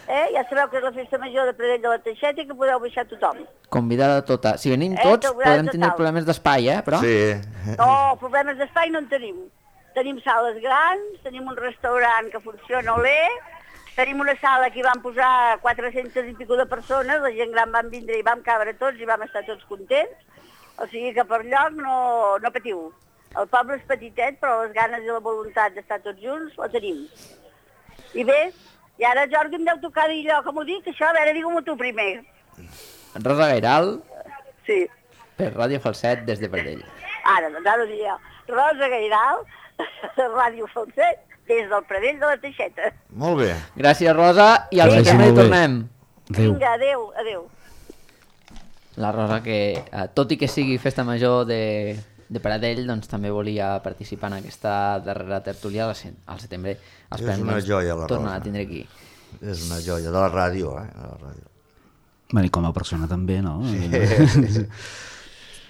Ja sabeu que és la festa major de Pradell de la Teixeta i que podeu baixar tothom. Convidada tota. Si venim tots, podem tenir problemes d'espai, però... Sí. No, problemes d'espai no en tenim. Tenim sales grans, tenim un restaurant que funciona olé, tenim una sala que hi vam posar 400 i pico de persones, la gent gran van vindre i vam cabre tots i vam estar tots contents, o sigui que per lloc no patiu. El poble és petitet, però les ganes i la voluntat d'estar tots junts la tenim. I bé, i ara, Jordi, em deu tocar dir allò, com ho dic, això, a veure, digue-m'ho tu primer. Rosa Gairal, sí. Per Ràdio Falset, des de Pradell. Ara, doncs ara ho diré jo. Rosa Gairal, Ràdio Falset, des del Pradell de la Teixeta. Molt bé. Gràcies, Rosa, i al setembre hi tornem. Vinga, adeu. La Rosa, que tot i que sigui festa major de Pradell, doncs també volia participar en aquesta darrera tertúlia al setembre. És una joia, la Rosa. Tornar a tindre aquí. És una joia, de la ràdio, de la ràdio. I com a persona també, no? Sí.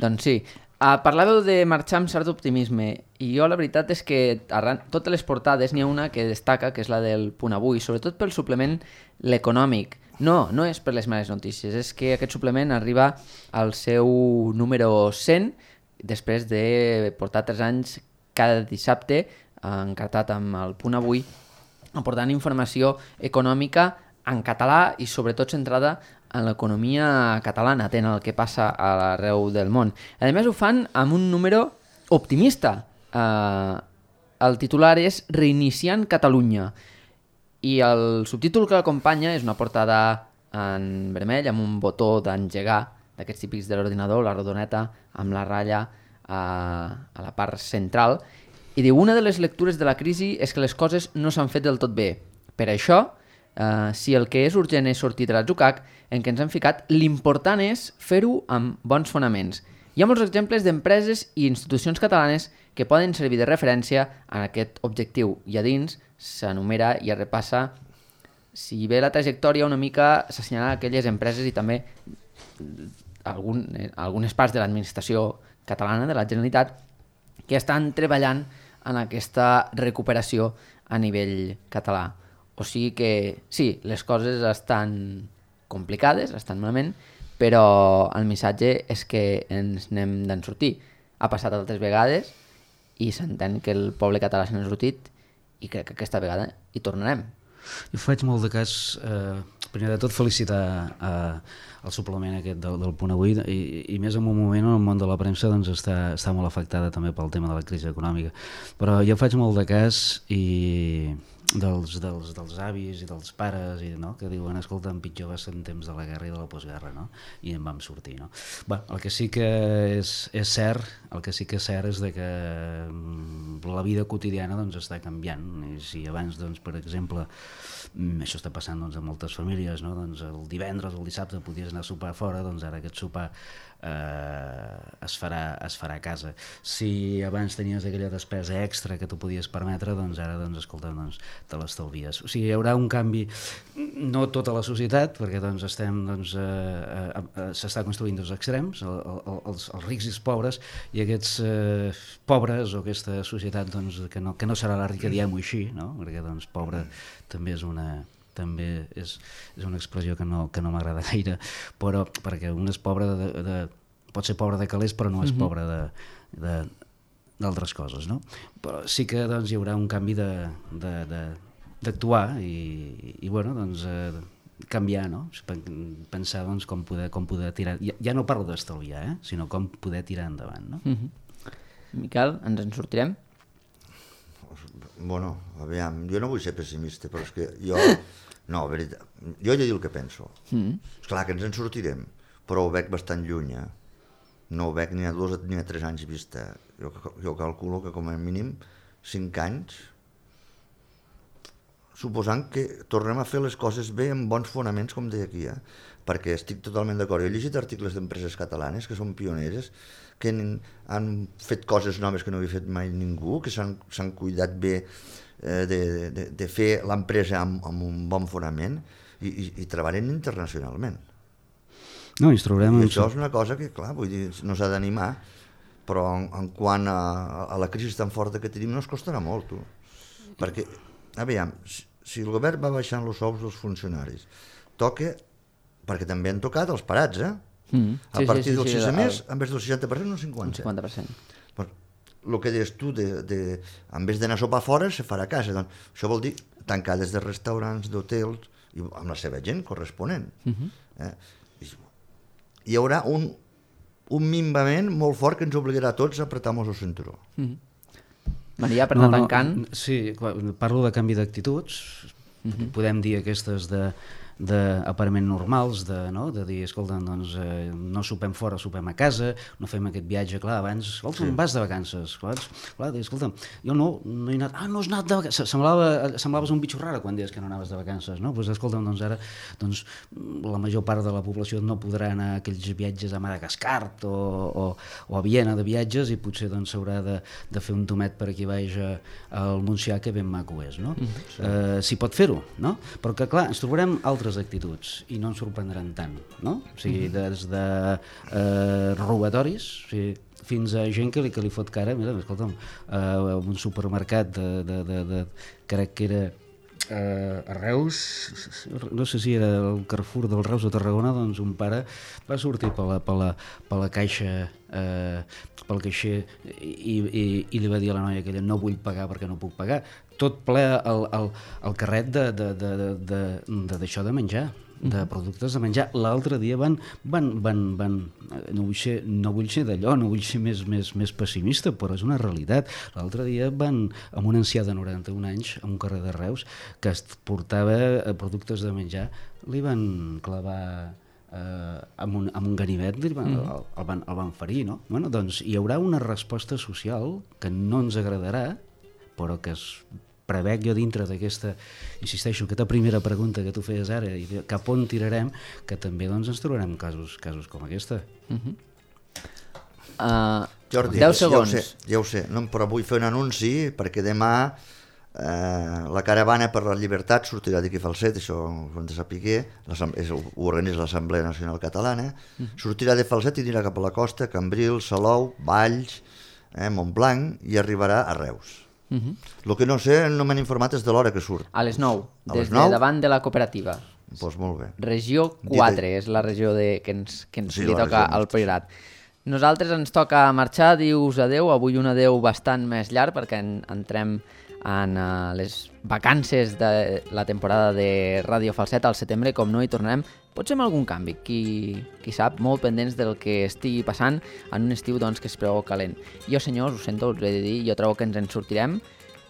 Doncs sí. Parlàveu de marxar amb cert optimisme i jo la veritat és que arran totes les portades n'hi ha una que destaca, que és la del Punt Avui, sobretot pel suplement l'econòmic. No és per les males notícies, és que aquest suplement arriba al seu número 100 després de portar 3 anys cada dissabte encartat amb el Punt Avui, aportant informació econòmica en català i sobretot centrada en l'economia catalana, atent al que passa a l'arreu del món. A més, ho fan amb un número optimista. El titular és Reiniciant Catalunya i el subtítol que l'acompanya és una portada en vermell amb un botó d'engegar d'aquests típics de l'ordinador, la rodoneta amb la ratlla a la part central, i diu: una de les lectures de la crisi és que les coses no s'han fet del tot bé. Per això, si el que és urgent és sortir de l'atzucac en què ens hem ficat, l'important és fer-ho amb bons fonaments. Hi ha molts exemples d'empreses i institucions catalanes que poden servir de referència en aquest objectiu, i a dins s'enumera i es repassa, si bé la trajectòria una mica s'assenyala aquelles empreses i també algunes parts de l'administració catalana, de la Generalitat, que estan treballant en aquesta recuperació a nivell català. O sigui que sí, les coses estan complicades, estan malament, però el missatge és que ens n'hem d'en sortir. Ha passat altres vegades i s'entén que el poble català se n'ha sortit i crec que aquesta vegada hi tornarem. Jo faig molt de cas, primer de tot felicitar el suplement aquest del Punt Avui i més en un moment on el món de la premsa doncs, està molt afectada també pel tema de la crisi econòmica, però jo faig molt de cas i dels avis i dels pares que diuen, escolta, en pitjor va ser en temps de la guerra i de la postguerra, no? I en vam sortir, no? Bé, el que sí que és cert és de que la vida quotidiana doncs, està canviant, i si abans, doncs, per exemple, això està passant doncs, a moltes famílies, no? Doncs el divendres o el dissabte podies anar a sopar fora, doncs ara aquest sopar es farà a casa. Si abans tenies aquella despesa extra que tu podies permetre, doncs ara, escolta, te l'estalvies. O sigui, hi haurà un canvi, no tota la societat, perquè s'està construint dos extrems, els rics i els pobres, i aquests pobres o aquesta societat que no serà la rica, diguem-ho així, no? Perquè pobre també és una expressió que no m'agrada gaire, però perquè un és pobre pot ser pobre de calés, però no és pobre d'altres coses, no? Però sí que hi haurà un canvi d'actuar i bueno, canviar, no? Pensar com poder tirar, ja no parlo d'estalviar, sinó com poder tirar endavant, no? Miquel, ens en sortirem? Bueno, aviam, jo no vull ser pessimista, però és que jo he de dir el que penso. Esclar que ens en sortirem, però ho veig bastant lluny, no ho veig ni a 2 ni a 3 anys vista. Jo calculo que com a mínim 5 anys, suposant que tornem a fer les coses bé amb bons fonaments, com deia aquí, perquè estic totalment d'acord. He llegit articles d'empreses catalanes que són pioneres, que han fet coses noves que no havia fet mai ningú, que s'han cuidat bé de fer l'empresa amb un bon fonament. i treballen internacionalment. No, ens trobarem... I això és una cosa que, clar, vull dir, no s'ha d'animar, però en quant a la crisi tan forta que tenim no es costarà molt, tu. Perquè, aviam, si el govern va baixant els sous dels funcionaris, toca, perquè també han tocat els parats, a partir del 6 mes, en vez del 60%, un 50%. 50%. El que deies tu, en vez d'anar a sopar fora, se farà a casa. Doncs, això vol dir tancades de restaurants, d'hotels, i amb la seva gent corresponent. Hi haurà un minvament molt fort que ens obligarà a tots a apretar-nos el cinturó. Maria, per anar tancant... Sí, parlo de canvi d'actituds, podem dir aquestes d'aparament normals, de dir, escolta, doncs no sopem fora, sopem a casa, no fem aquest viatge, clar, abans, escolta, vas de vacances, clar, escolta, jo no he anat, no has anat de vacances, semblaves un bitxo raro quan deies que no anaves de vacances, no? Doncs escolta, doncs ara, la major part de la població no podrà anar a aquells viatges a Madagascar o a Viena de viatges i potser doncs s'haurà de fer un tomet per aquí baix al Montsià, que ben maco és, no? Si pot fer-ho, no? Però que, clar, ens trobarem altres actituds i no ens sorprendran tant, no? O sigui, des de robatoris, fins a gent que li fot cara, mira, escolta'm, un supermercat crec que era a Reus, no sé si era el Carrefour del Reus o Tarragona, doncs un pare va sortir per la caixa, pel caixer i li va dir a la noia aquella, no vull pagar perquè no puc pagar, tot ple el carret d'això de menjar, de productes de menjar. L'altre dia van no vull ser d'allò, no vull ser més pessimista, però és una realitat. L'altre dia van amb un ancià de 91 anys a un carrer de Reus que portava productes de menjar, li van clavar amb un ganivet, el van ferir, no? Bueno, doncs hi haurà una resposta social que no ens agradarà, però que es prevec jo dintre d'aquesta, insisteixo, aquesta primera pregunta que tu feies ara, i cap on tirarem, que també doncs, ens trobarem casos com aquesta. Jordi, 10 segons. Ja ho sé, no, però vull fer un anunci perquè demà la caravana per la llibertat sortirà d'aquí Falset, això ho hem de saber, ho organitza l'Assemblea Nacional Catalana, sortirà de Falset i anirà cap a la costa, Cambrils, Salou, Valls, Montblanc, i arribarà a Reus. El que no sé, no m'han informat és de l'hora que surt. A les 9, des de davant de la cooperativa. Doncs molt bé. Regió 4 és la regió que ens li toca al Priorat. Nosaltres ens toca marxar, dius adeu, avui un adeu bastant més llarg perquè entrem en les vacances de la temporada de Ràdio Falset al setembre, com no hi tornarem, potser amb algun canvi, qui sap, molt pendents del que estigui passant en un estiu doncs, que es preveu calent. Jo, senyors, ho sento, us he de dir, jo trobo que ens en sortirem,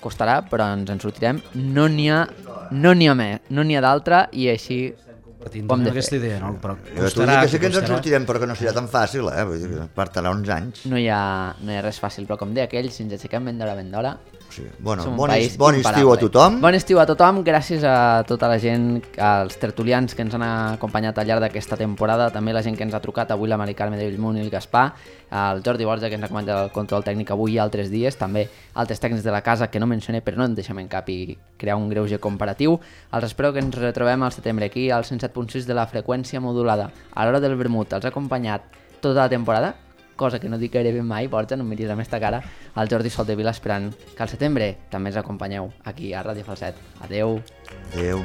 costarà, però ens en sortirem, no n'hi ha d'altra, i així ho hem de fer. Aquesta idea, no? Però costarà, que sí que ens en sortirem, però que no serà tan fàcil, vull dir, portarà uns anys. No hi ha res fàcil, però com deia aquell, si ens aixequem ben d'hora, sí. Bueno, bon estiu a tothom. Bon estiu a tothom, gràcies a tota la gent, als tertulians que ens han acompanyat al llarg d'aquesta temporada, també la gent que ens ha trucat, avui la Mari Carme de Bellmunt i el Gaspar, el Jordi Borja que ens ha comentat el control tècnic avui i altres dies, també altres tècnics de la casa que no mencioné però no en deixem en cap i crear un greuge comparatiu. Els espero que ens retrobem al setembre aquí al 107.6 de la freqüència modulada. A l'hora del vermut els ha acompanyat tota la temporada, cosa que no dic gairebé mai, Borja, no em miris amb esta cara, al Jordi Soldevila, esperant que al setembre també ens acompanyeu aquí a Ràdio Falset. Adeu. Adeu.